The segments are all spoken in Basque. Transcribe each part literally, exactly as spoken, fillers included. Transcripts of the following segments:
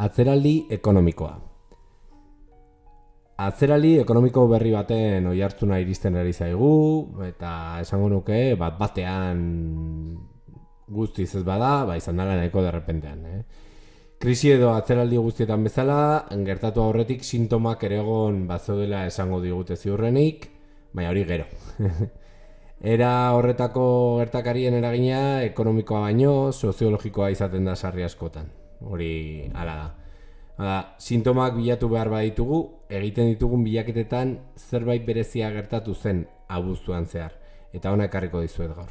Atzeraldi ekonomikoa. Atzeraldi ekonomiko berri baten oihartzuna iristen ari zaigu, eta esango nuke bat batean guztiz ez bada, ba izan dela nahiko derrepentean. Eh? Krisi edo atzeraldi guztietan bezala, gertatu aurretik sintomak ere egon bazeudela esango digute ziurrenik, baina hori gero. Era horretako gertakarien eragina ekonomikoa baino soziologikoa izaten da sarri askotan. Hori hala da. Hala, sintomak bilatu behar baditugu, egiten ditugun bilaketetan zerbait berezia gertatu zen abuztuan zehar. Eta hona ekarriko dizuet gaur.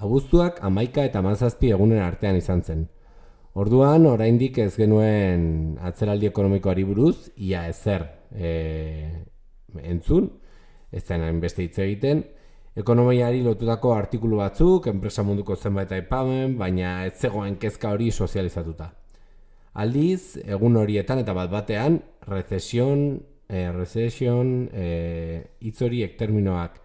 Abuztuak hamaika eta hamazazpi egunen artean izan zen. Orduan, oraindik ez genuen atzeraldi ekonomikoari buruz, ia ezer e, entzun, ez zen hainbeste hitz egiten, ekonomiari lotutako artikulu batzuk, enpresa munduko zenbait aipamen, baina ez zegoen kezka hori sozializatuta. Aldiz, egun horietan eta bat batean, recession, e, recession, e, hitz horiek terminoak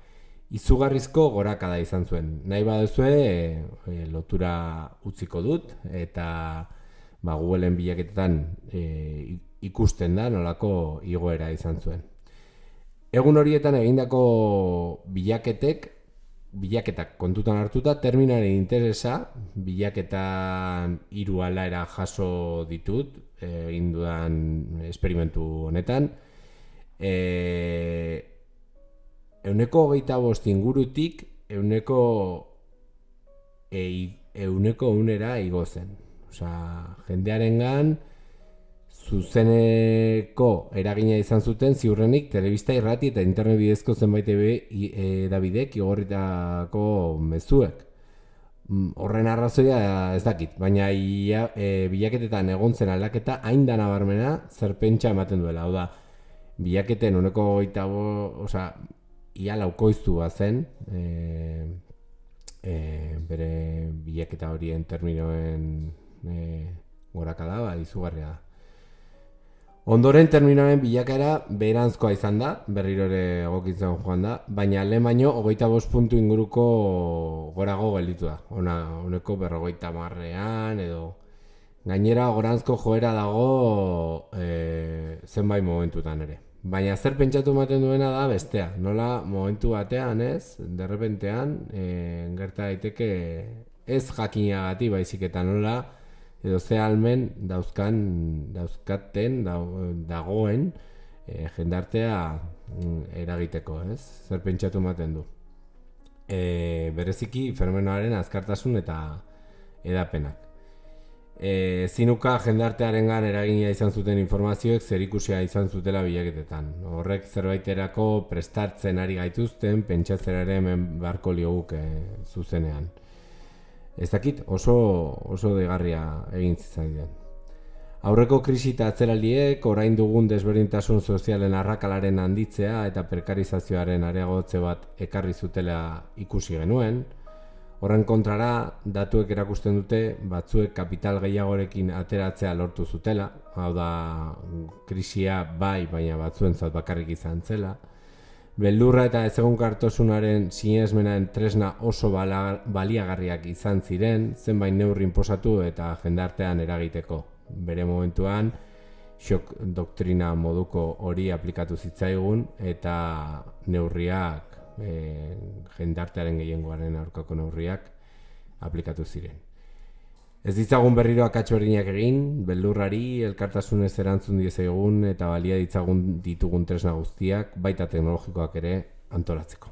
izugarrizko gorakada izan zuen. Nahi baduzue e, e, lotura utziko dut eta ba, Googleen bilaketetan e, ikusten da nolako igoera izan zuen. Egun horietan egindako bilaketek, bilaketak kontutan hartuta, terminaren interesa, bilaketan hiru aldaera jaso ditut, egin dudan esperimentu honetan, e, Euneko hogeita bost ingurutik euneko e, euneko unera igo zen. Osea, jendearengan zuzeneko eragina izan zuten ziurrenik telebista, irrati eta internet bidezko zenbait edabidek igorritako mezuek. Horren arrazoia ez dakit, baina ia, e, bilaketetan egon zen aldaketa hain da nabarmena zer pentsa ematen duela. Hau da, bilaketen euneko hogeita bost, osea, ia laukoiztu zen e, e, bere bilaketa horien terminoen e, gorakada, ba, izugarria da. Ondoren terminoen bilakera beheranzkoa izan da, berriro ere egokitzen joan da, baina lehen baino hogeita bost puntu inguruko gorago gelditu da. Ona, honeko berrogeita marrean edo gainera goranzko joera dago e, zenbait momentutan ere. Baina zer pentsatu ematen duena da bestea. Nola momentu batean ez, derrepentean, e, gerta daiteke ez jakinagatik baizik eta nola edo ze almen dauzkan, dauzkaten, dagoen e, jendartea eragiteko, ez? Zer pentsatu ematen du. E, bereziki fenomenoaren azkartasun eta edapenak. E, zinuka jendartearengan eragina izan zuten informazioek zerikusia izan zutela bilaketetan. Horrek zerbaiterako prestartzen ari gaituzten, pentsatzera ere hemen beharko lioguke zuzenean. Ez dakit oso, oso degarria egin zitzaiden. Aurreko krisi eta atzeraldiek orain dugun desberdintasun sozialen arrakalaren handitzea eta prekarizazioaren areagotze bat ekarri zutela ikusi genuen. Horren kontrara, datuek erakusten dute batzuek kapital gehiagorekin ateratzea lortu zutela, hau da krisia bai, baina batzuentzat bakarrik izan zela. Beldurra eta ezegonkortasunaren sinesmenaren tresna oso baliagarriak izan ziren, zenbait neurri inposatu eta jendartean eragiteko. Bere momentuan, shock doktrina moduko hori aplikatu zitzaigun eta neurriak E, jendartearen gehiengoaren aurkako neurriak aplikatu ziren. Ez ditzagun berriro akatsu berdinak egin, beldurrari, elkartasunez erantzun diezagun eta balia ditzagun ditugun tresna guztiak, baita teknologikoak ere antolatzeko.